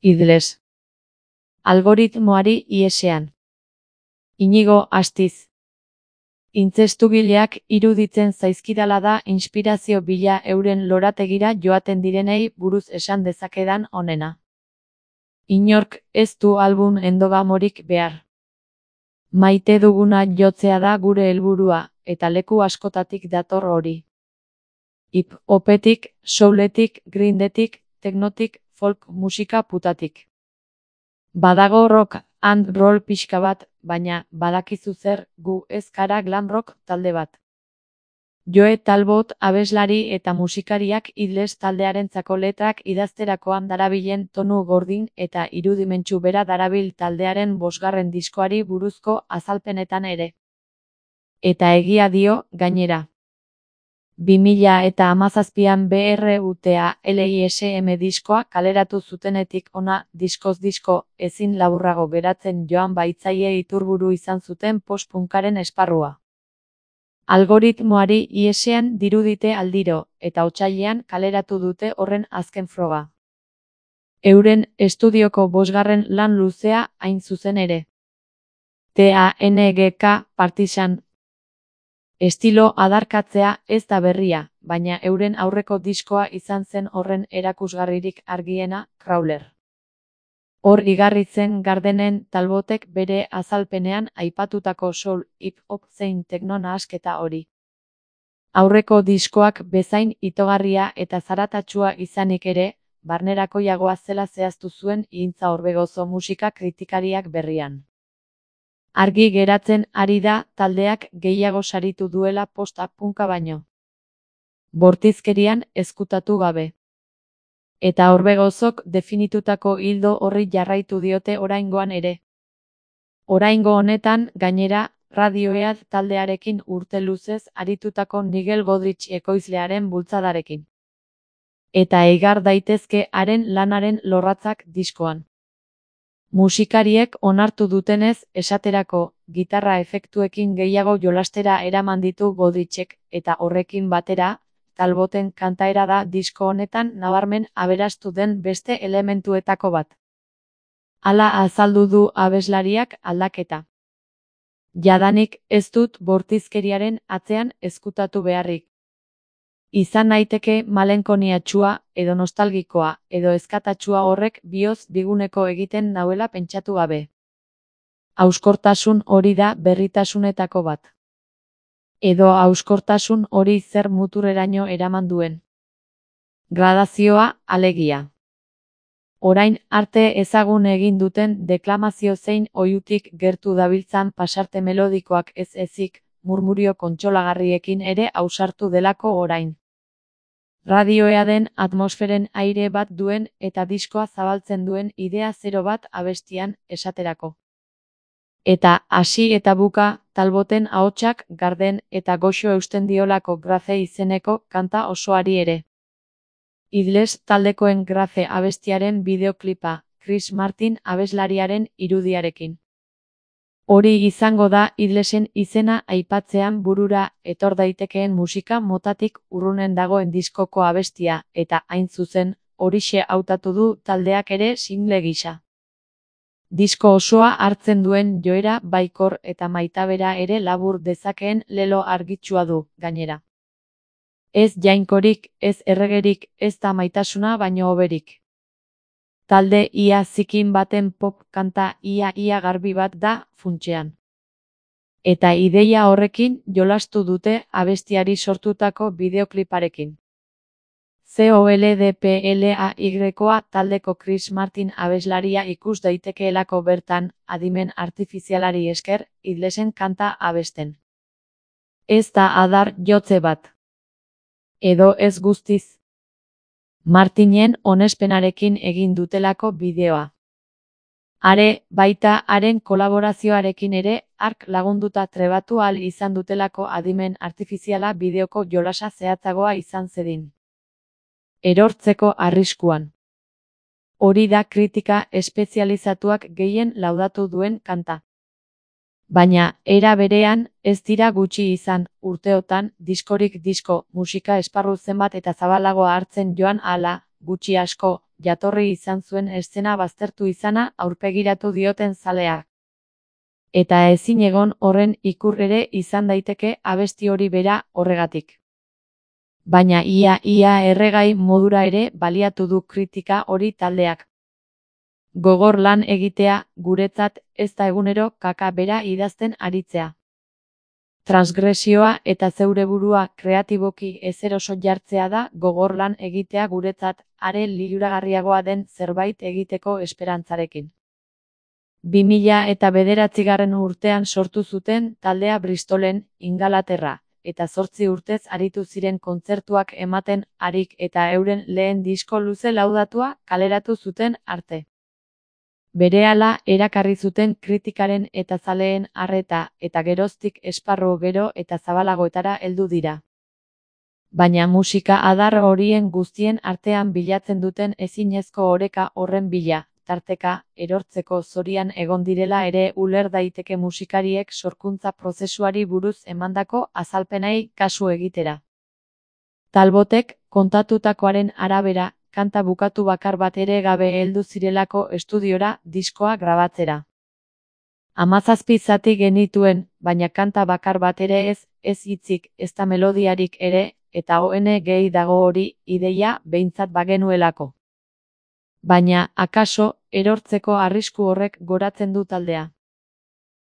Idles. Algoritmoari ihesean. Inigo Astiz. Intzestugileak iruditzen zaizkidala da inspirazio bila euren lorategira joaten direnei buruz esan dezakedan onena. Inork ez du album endogamorik behar. Maite duguna jotzea da gure helburua, eta leku askotatik dator hori. Hip-hopetik, souletik, grindetik, teknotik, folk musika putatik. Badago rock and roll pixka bat, baina badakizu zer, gu ez gara glam rock talde bat. Joe Talbot abeslari eta musikariak Idles taldearentzako letrak idazterakoan darabilen tonu gordin eta irudimentsu bera darabil taldearen 5. diskoari buruzko azalpenetan ere. Eta egia dio, gainera. 2017an BRUTA LISM diskoa kaleratu zutenetik ona diskoz disko ezin laburrago geratzen joan baitzaie iturburu izan zuten post-punkaren esparrua. Algoritmoari ihesean dirudite aldiro, eta otsailean kaleratu dute horren azken froga. Euren estudioko 5. lan luzea hain zuzen ere. TANGK Partisan. Estilo adarkatzea ez da berria, baina euren aurreko diskoa izan zen horren erakusgarririk argiena, Crawler. Hor igarri zen Gardenen Talbotek bere azalpenean aipatutako soul, hip-hop zein tekno nahasketa hori. Aurreko diskoak bezain itogarria eta zaratatsua izanik ere, barnerakoiagoa zela zehaztu zuen Ihintza Orbegozo musika kritikariak berrian. Argi geratzen ari da taldeak gehiago saritu duela post-punka baino. Bortizkerian ezkutatu gabe. Eta Orbegozok definitutako ildo horri jarraitu diote oraingoan ere. Oraingo honetan, gainera, Radiohead taldearekin urte luzez aritutako Nigel Godrich ekoizlearen bultzadarekin. Eta igar daitezke haren lanaren lorratzak diskoan. Musikariek onartu dutenez, esaterako, gitarra efektuekin gehiago jolastera eraman ditu Godrichek, eta horrekin batera, Talboten kantaera da disko honetan nabarmen aberastu den beste elementuetako bat. Hala azaldu du abeslariak aldaketa. Jadanik ez dut bortizkeriaren atzean ezkutatu beharrik. Izan naiteke malenkoniatsua, edo nostalgikoa, edo eskatatsua horrek bihotz diguneko egiten nauela pentsatu gabe. Hauskortasun hori da berritasunetako bat. Edo hauskortasun hori zer muturreraino eraman duen. Gradazioa, alegia. Orain arte ezagun egin duten deklamazio zein oihutik gertu dabiltzan pasarte melodikoak ez ezik, murmurio kontsolagarriekin ere ausartu delako orain. Radioheaden atmosferen aire bat duen eta diskoa zabaltzen duen idea zero bat abestian, esaterako. Eta hasi eta buka, Talboten ahotsak garden eta goxo eusten diolako Grace izeneko kanta osoari ere. Idles taldekoen Grace abestiaren bideoklipa, Chris Martin abeslariaren irudiarekin. Hori izango da Idlesen izena aipatzean burura etor daitekeen musika motatik urrunen dagoen diskoko abestia, eta hain zuzen, horixe hautatu du taldeak ere single gisa. Disko osoa hartzen duen joera baikor eta maitabera ere labur dezakeen lelo argitsua du, gainera. Ez jainkorik, ez erregerik, ez da maitasuna baino hoberik. Talde ia zikin baten pop kanta ia garbi bat da, funtsean. Eta ideia horrekin jolastu dute abestiari sortutako bideokliparekin. COLDPLAY-koa taldeko Chris Martin abeslaria ikus daitekeelako bertan, adimen artifizialari esker, Idlesen kanta abesten. Ez da adar jotze bat. Edo ez guztiz. Martinen onespenarekin egin dutelako bideoa. Are, baita haren kolaborazioarekin ere, hark lagunduta trebatu ahal izan dutelako adimen artifiziala bideoko jolasa zehatzagoa izan zedin. Erortzeko arriskuan. Hori da kritika espezializatuak gehien laudatu duen kanta. Baina, era berean, ez dira gutxi izan, urteotan, diskorik disko, musika esparru zenbat eta zabalagoa hartzen joan ahala, gutxi asko, jatorri izan zuen eszena baztertu izana aurpegiratu dioten zaleak. Eta ezin egon horren ikur ere izan daiteke abesti hori bera horregatik. Baina ia erregai modura ere baliatu du kritika hori taldeak. Gogor lan egitea, guretzat, ez da egunero kaka bera idazten aritzea. Transgresioa eta zeure burua kreatiboki ezeroso jartzea da gogor lan egitea guretzat, are liluragarriagoa den zerbait egiteko esperantzarekin. 2009 urtean sortu zuten taldea Bristolen, Ingalaterra, eta 8 urtez aritu ziren kontzertuak ematen harik eta euren lehen disko luze laudatua kaleratu zuten arte. Berehala erakarri zuten kritikaren eta zaleen arreta eta geroztik esparru gero eta zabalagoetara heldu dira. Baina musika adar horien guztien artean bilatzen duten ezinezko oreka horren bila, tarteka, erortzeko zorian egon direla ere uler daiteke musikariek sorkuntza prozesuari buruz emandako azalpenei kasu egitera. Talbotek kontatutakoaren arabera, kanta bukatu bakar bat ere gabe heldu zirelako estudiora diskoa grabatzera. 17 zati genituen, baina kanta bakar bat ere ez hitzik, ezta melodiarik ere, eta gehi dago hori ideia behintzat bagenuelako. Baina, akaso, erortzeko arrisku horrek goratzen du taldea.